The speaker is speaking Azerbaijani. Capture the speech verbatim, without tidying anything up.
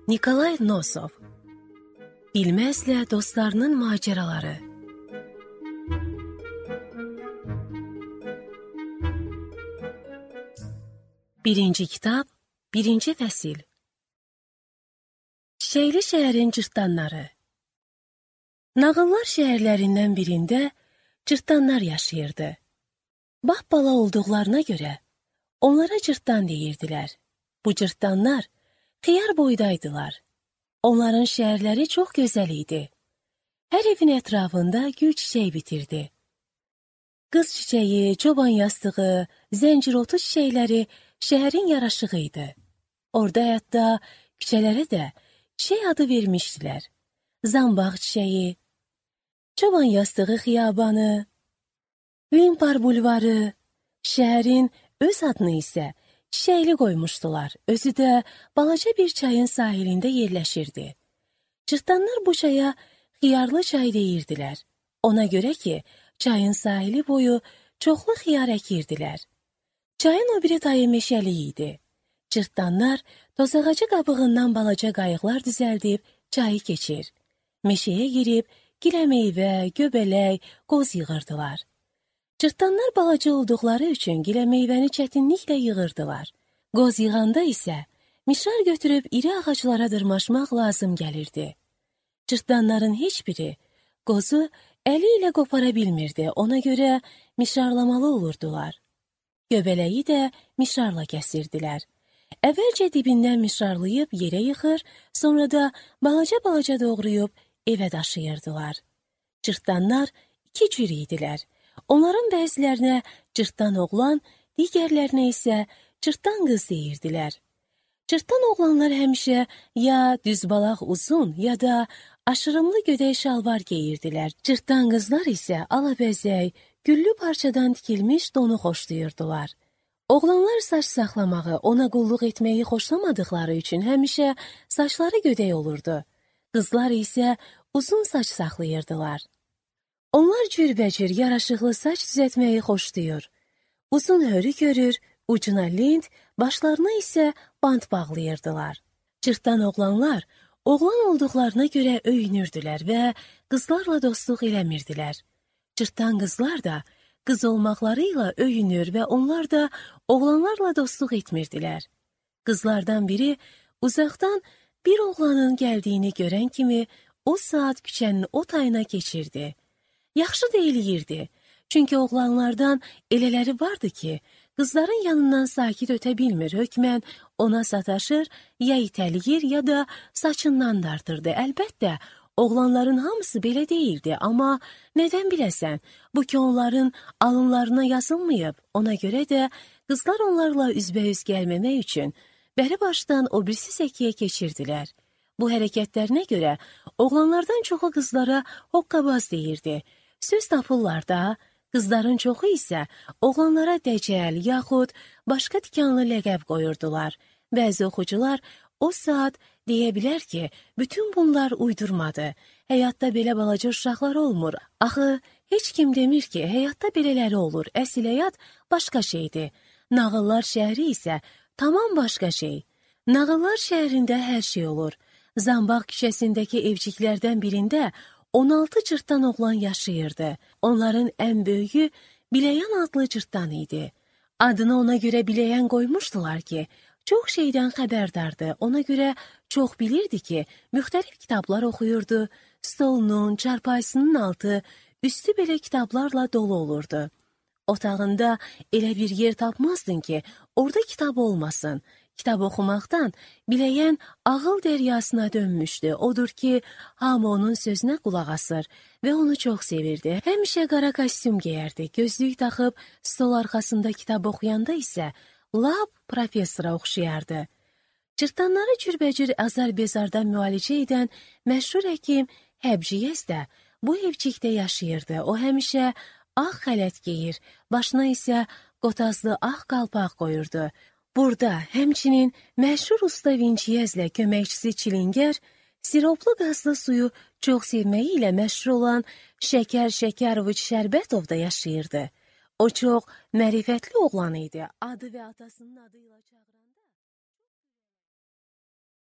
Nikolay Nosov. Bilməzlə dostlarının macəraları. Birinci kitab, birinci fəsil. Çiçəkli şəhərin cırtdanları. Nağıllar şəhərlərindən birində cırtdanlar yaşayırdı. Bax bala olduqlarına görə onlara cırtdan deyirdilər. Bu cırtdanlar xiyar boydaydılar. Onların şəhərləri çox gözəl idi. Hər evin ətrafında gül çiçək bitirdi. Qız çiçəyi, çoban yastığı, zəncirotu çiçəkləri şəhərin yaraşığı idi. Orada hətta küçələrə də çiçək adı vermişdilər. Zambaq çiçəyi, çoban yastığı xiyabanı, Limpar bulvarı, şəhərin öz adını isə çiçəkli qoymuşdular. Özü də balaca bir çayın sahilində yerləşirdi. Cırtdanlar bu çaya xiyarlı çay deyirdilər. Ona görə ki, çayın sahili boyu çoxlu xiyar əkirdilər. Çayın o biri tayı meşəli idi. Cırtdanlar tozağacı qabığından balaca qayıqlar düzəldib çayı keçir. Meşəyə girib gilə meyvə, göbələk, qoz yığırdılar. Cırtdanlar balaca olduqları üçün gilə meyvəni çətinliklə yığırdılar. Qoz yığanda isə mişar götürüb iri ağaclara dırmaşmaq lazım gəlirdi. Cırtdanların heç biri qozu əli ilə qopara bilmirdi, ona görə mişarlamalı olurdular. Göbələyi də mişarla kəsirdilər. Əvvəlcə dibindən mişarlayıb yerə yıxır, sonra da balaca-balaca doğrayıb evə daşıyırdılar. Cırtdanlar iki cür idilər. Onların bəzilərinə cırtdan oğlan, digərlərinə isə cırtdan qız deyirdilər. Cırtdan oğlanlar həmişə ya düzbalaq uzun, ya da aşırımlı gödək şalvar geyirdilər. Cırtdan qızlar isə alabəzək, güllü parçadan tikilmiş donu xoşlayırdılar. Oğlanlar saç saxlamağı, ona qulluq etməyi xoşlamadıqları üçün həmişə saçları gödək olurdu. Qızlar isə uzun saç saxlayırdılar. Onlar cürbəcür yaraşıqlı saç düzətməyi xoşlayır. Uzun hörü görür, ucuna lint, başlarına isə bant bağlayırdılar. Cırtdan oğlanlar oğlan olduqlarına görə öyünürdülər və qızlarla dostluq eləmirdilər. Cırtdan qızlar da qız olmaqlarıyla öyünür və onlar da oğlanlarla dostluq etmirdilər. Qızlardan biri uzaqdan bir oğlanın gəldiyini görən kimi o saat küçənin o tayına keçirdi. Yaxşı da eləyirdi, çünki oğlanlardan elələri vardı ki, qızların yanından sakit ötə bilmir, hökmən ona sataşır, ya itəliyir, ya da saçından dartırdı. Əlbəttə, oğlanların hamısı belə deyildi, amma nədən biləsən, bu ki onların alınlarına yazılmayıb, ona görə də qızlar onlarla üzbəüz gəlməmək üçün bəri başdan o birisi səkiyə keçirdilər. Bu hərəkətlərinə görə oğlanlardan çoxu qızlara hoqqabaz deyirdi. Söz tapırlar da, qızların çoxu isə oğlanlara dəcəl, yaxud başqa tikanlı ləqəb qoyurdular. Bəzi oxucular o saat deyə bilər ki, bütün bunlar uydurmadı. Həyatda belə balaca uşaqlar olmur. Axı, heç kim demir ki, həyatda belələri olur. Əsl həyat başqa şeydir. Nağıllar şəhəri isə tamam başqa şey. Nağıllar şəhərində hər şey olur. Zambaq küçəsindəki evciklərdən birində on altı cırtdan oğlan yaşayırdı. Onların ən böyüyü Biləyən adlı cırtdan idi. Adını ona görə Biləyən qoymuşdular ki, çox şeydən xəbərdardı. Ona görə çox bilirdi ki, müxtəlif kitablar oxuyurdu. Stolunun, çarpayısının altı, üstü belə kitablarla dolu olurdu. Otağında elə bir yer tapmazdın ki, orada kitab olmasın. Kitab oxumaqdan Biləyən ağıl dəryasına dönmüşdü. Odur ki, hamı onun sözünə qulaq asır və onu çox sevirdi. Həmişə qara kostyum geyərdi. Gözlük taxıb stol arxasında kitab oxuyanda isə lap professora oxşayardı. Cırtdanları cürbəcür azar-bezardan müalicə edən məşhur həkim Həbciyəz də bu evcikdə yaşayırdı. O həmişə ağ xələt geyir, başına isə qotazlı ağ qalpaq qoyurdu. Burada həmçinin məşhur usta Vinciyəzlə köməkçisi Çilingər siroplu qazlı suyu çox sevməyi ilə məşhur olan Şəkər Şəkəroviç Şərbətov da yaşayırdı. O çox mərifətli oğlan idi. Adı və atasının adıyla çağıran